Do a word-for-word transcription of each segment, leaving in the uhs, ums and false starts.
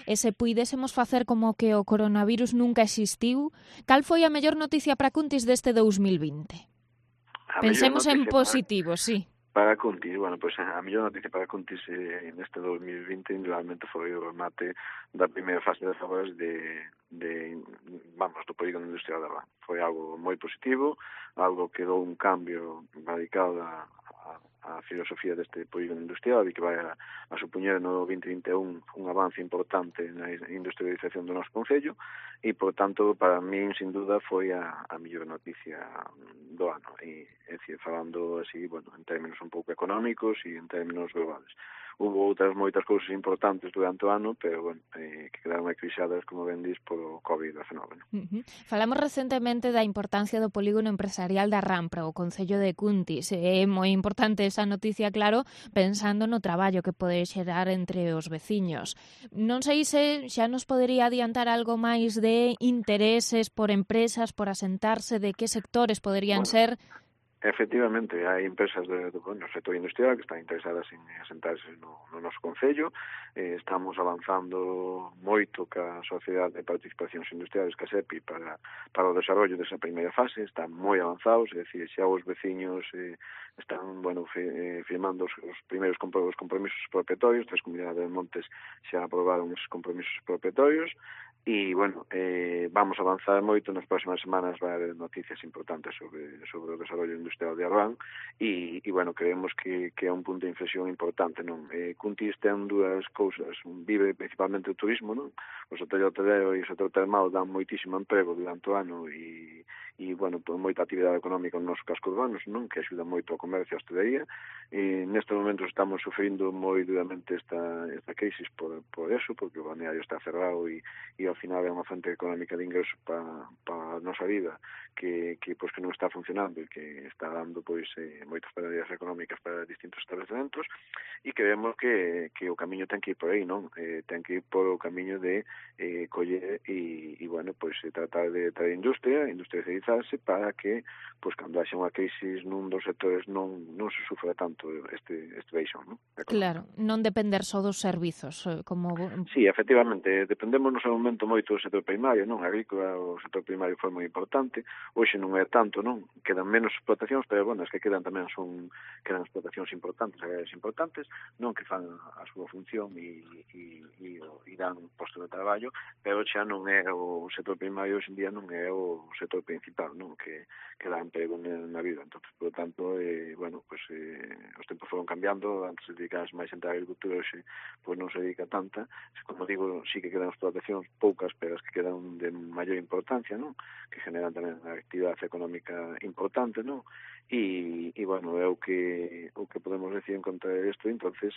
e se puidésemos facer como que o coronavirus nunca existiu, cal foi a mellor noticia para Cuntis deste dous mil vinte? A Pensemos en noticia positivo, para, sí. Para Cuntis, bueno, pois pues, a mellor noticia para Cuntis eh, neste dos mil vinte indudablemente foi o remate da primeira fase das obras de, de vamos, do polígono industrial de Arrán. Foi algo moi positivo, algo que dou un cambio radical a, a, a filosofía deste polígono industrial e que vai a, a supoñer no vinte vinte e un un avance importante na industrialización do noso concello e, por tanto, para min, sin duda, foi a, a mellor noticia do ano. E, é dicir, falando así, bueno, en términos un pouco económicos e en términos globales. Hubo outras moitas cousas importantes durante o ano, pero, bueno, eh, que quedaron acrisadas, como ben dis, polo covid diecinueve. Uh-huh. Falamos recentemente da importancia do polígono empresarial da Arrán para o Concello de Cuntis. É moi importante esa noticia, claro, pensando no traballo que pode xerar entre os veciños. Non sei se xa nos podería adiantar algo máis de intereses por empresas, por asentarse, de que sectores poderían bueno. ser. Efectivamente, hai empresas do, do, do sector industrial que están interesadas en asentarse no, no noso concello. Eh, estamos avanzando moito ca Sociedade de Participacións Industriales, ca SEPI, para, para o desarrollo desa primeira fase. Están moi avanzados, é dicir, xa os veciños eh, están, bueno, fi, eh, firmando os, os primeiros os compromisos propietarios. Tres comunidades de Montes xa aprobaron os compromisos propietarios. E, bueno, eh, vamos a avanzar moito. Nas próximas semanas vai haber noticias importantes sobre, sobre o desarrollo industrial de Arrán e, e bueno, creemos que, que é un punto de inflexión importante, non? Eh, Cuntis ten dúas cousas, vive principalmente o turismo, non? O sector hotelero e o sector termal dan moitísimo emprego durante o ano e, e bueno, por moita actividade económica nos nosos cascos urbanos, non? Que axuda moito ao comercio e a hostelería. E nestes momentos estamos sufrindo moi duramente esta, esta crisis por, por eso, porque o balneario está cerrado e, e ao final é unha fonte económica de ingresos para pa a nosa vida que, que, pois, que non está funcionando e que está dando pois eh, moitas pérdidas económicas para distintos establecementos e creemos que, que o camiño ten que ir por aí, non? Eh, ten que ir por o camiño de eh, coller e, e bueno, pois tratar de traer industria, industrializarse para que, pois cando haxa unha crisis nun dos sectores non, non se sufra tanto este, este baixón, non? Claro, non depender só dos servizos, como... Sí, efectivamente, dependemos no seu momento moito do sector primario, non? A agrícola, o sector primario foi moi importante, hoxe non é tanto, non? Quedan menos explotacións, pero, bueno, as que quedan tamén son, quedan explotacións importantes, agrarias importantes, non que fan a súa función e, e, e, e dan posto de traballo, pero xa non é o sector primario, hoxe en día non é o sector principal, non? Que, que dá emprego na vida. Entón, por lo tanto, eh, bueno, pues, eh, os tempos foron cambiando, antes se dedicas máis a agricultura, hoxe pues, non se dedica tanta, como digo, sí que quedan explotacións poucas, pero as que quedan de maior importancia, non? Que generan tamén a actividade económica importante, non? E, e bueno, é o que o que podemos decir en contra isto. Entonces,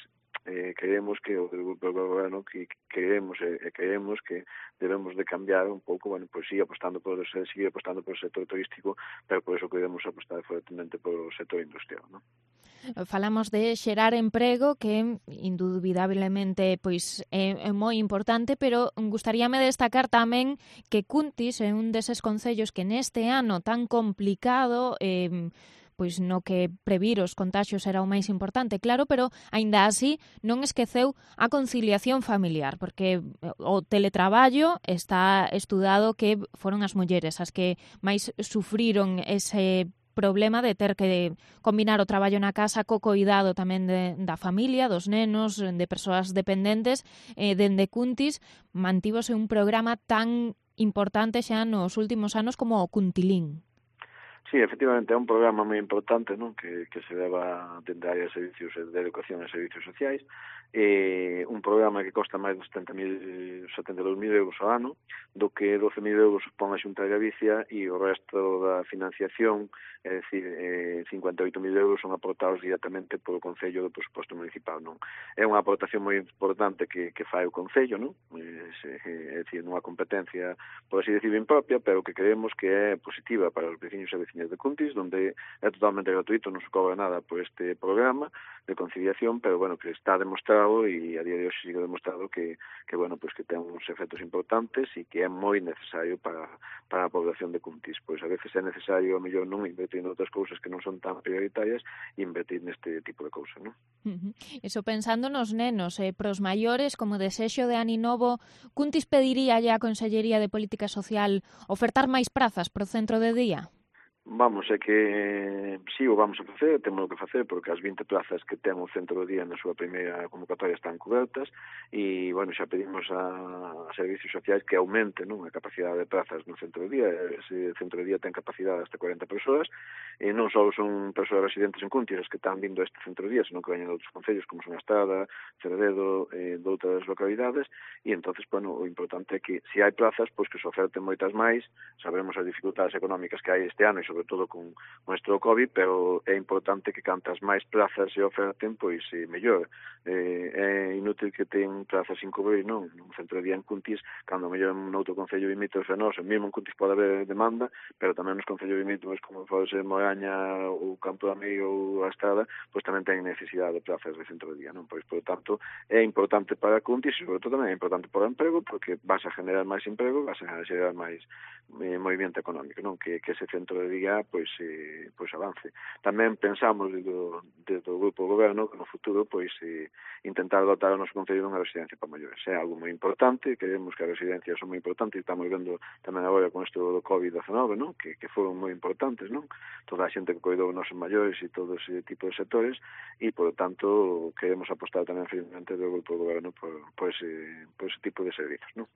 eh, creemos que o grupo do goberno que creemos e eh, creemos que debemos de cambiar un pouco, bueno, pois pues, sí, apostando por seguir apostando por o sector turístico, pero por eso que debemos apostar fuertemente por o sector industrial, non? Falamos de xerar emprego, que indubidablemente pois é, é moi importante, pero gustaríame destacar tamén que Cuntis é un deses concellos que neste ano tan complicado, eh, pois no que previr os contaxios era o máis importante, claro, pero aínda así non esqueceu a conciliación familiar, porque o teletraballo está estudado que foron as mulleres as que máis sufriron ese problema de ter que combinar o traballo na casa co coidado tamén de, da familia, dos nenos, de persoas dependentes. Eh, dende Cuntis mantívose un programa tan importante xa nos últimos anos como o Cuntilín. Sí, efectivamente, é un programa moi importante, non? Que, que se leva dende a área de servicios de educación e servicios sociais, eh, un programa que costa máis de setenta e dous mil euros ao ano, do que doce mil euros pon a Xunta de Galicia e o resto da financiación, é dicir, eh, cincuenta e oito mil euros son aportados directamente polo Concello do presuposto municipal, non? É unha aportación moi importante que, que fai o Concello, non? É, é dicir, nunha competencia, por así decir, impropia, pero que creemos que é positiva para os veciños e veciñas oficinas de Cuntis, donde é totalmente gratuito, non se cobra nada por este programa de conciliación, pero, bueno, que está demostrado e a día de hoxe sigue demostrado que, que bueno, pues que ten uns efectos importantes e que é moi necesario para, para a población de Cuntis. Pois a veces é necesario, a mellor, non invertir en outras cousas que non son tan prioritarias e invertir neste tipo de cousas, non? Uh-huh. Iso pensando nos nenos, eh, pros maiores, como desexo de Aninovo, Cuntis pediría a Consellería de Política Social ofertar máis prazas pro centro de día? Vamos, é que si o vamos a facer, temos que facer, porque as vinte plazas que ten o centro do día na súa primeira convocatoria están cobertas e, bueno, xa pedimos a, a servicios sociais que aumenten, non, a capacidade de plazas no centro do día. Ese centro do día ten capacidade hasta cuarenta persoas e non só son persoas residentes en Cuntis as que están vindo a este centro do día, senón que veñen de outros concellos como son Estrada, Ceredo, eh, de outras localidades e, entonces, bueno, o importante é que se hai plazas, pois que se oferten moitas máis. Sabemos as dificultades económicas que hai este ano e sobre todo con nuestro COVID, pero é importante que cantas máis plazas se oferten, pois eh, mellor. Eh, é inútil que ten plazas sin cubrir, non? No centro de día en Cuntis, cando mellor en outro concello limítrofe a nós, mesmo en Cuntis pode haber demanda, pero tamén nos concellos limítrofes como pode ser Moraña ou Campo de Amigo ou a Estrada, pois tamén ten necesidade de plazas de centro de día, non? Pois, por tanto, é importante para Cuntis e, sobre todo, tamén é importante para o emprego, porque vas a generar máis emprego, vas a generar máis eh, movimento económico, non? Que, que ese centro de día pois eh, pois avance. Tamén pensamos desde o, desde o grupo do goberno que no futuro pois eh, intentar dotar o noso concello dunha residencia para maiores. É algo moi importante, creemos que as residencias son moi importantes, estamos vendo tamén agora con isto do covid diecinueve, non? Que, que foron moi importantes, non? Toda a xente que coidou os nosos maiores e todo ese tipo de sectores e, por tanto, queremos apostar tamén firmemente do grupo do goberno por, por, ese, por ese tipo de servicios, non?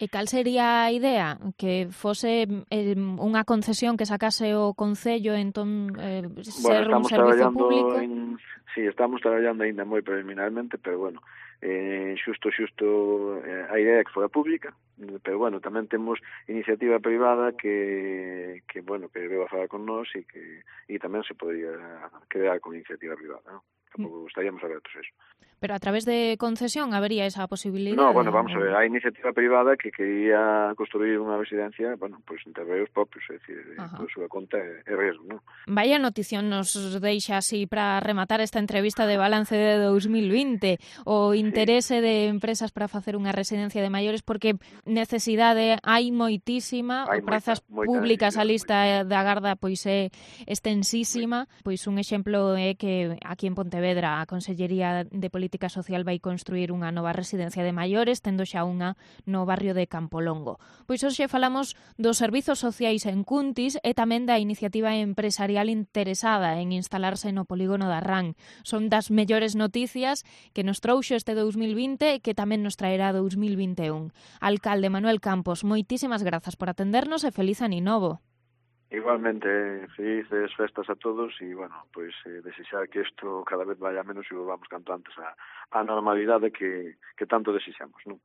E cal sería a idea? Que fose eh, unha concesión que sacase o Concello, entón eh, ser bueno, un servizo público? En, sí, estamos traballando ainda moi preliminarmente, pero bueno, eh, xusto, xusto, eh, a idea é que fora pública, pero bueno, tamén temos iniciativa privada que, que bueno, que veo a falar con nós e que e tamén se podría crear con iniciativa privada, non? Tampouco estaríamos abertos a eso. Pero a través de concesión habería esa posibilidade? No, bueno, vamos a ver, a iniciativa privada que quería construir unha residencia, bueno, pois pues, entre os propios, é dicir, por súa conta é, é riesgo, non? Vaya notición nos deixa así para rematar esta entrevista de balance de dos mil vinte, o interese sí. de empresas para facer unha residencia de maiores, porque necesidade hai moitísima, hai prazas moita, moita públicas, a lista moita. da garda pois é extensísima, pois un exemplo é que aquí en Pontevedra a Consellería de Política Política Social vai construir unha nova residencia de maiores, tendo xa unha no barrio de Campolongo. Pois hoxe falamos dos servizos sociais en Cuntis e tamén da iniciativa empresarial interesada en instalarse no polígono da Rán. Son das mellores noticias que nos trouxo este dos mil vinte e que tamén nos traerá dos mil vinte e un. Alcalde Manuel Campos, moitísimas grazas por atendernos e feliz Aninovo. Igualmente, felices festas a todos e, bueno, pois eh, desexar que isto cada vez vaya menos e volvamos canto antes a, a normalidade que, que tanto desexamos, non?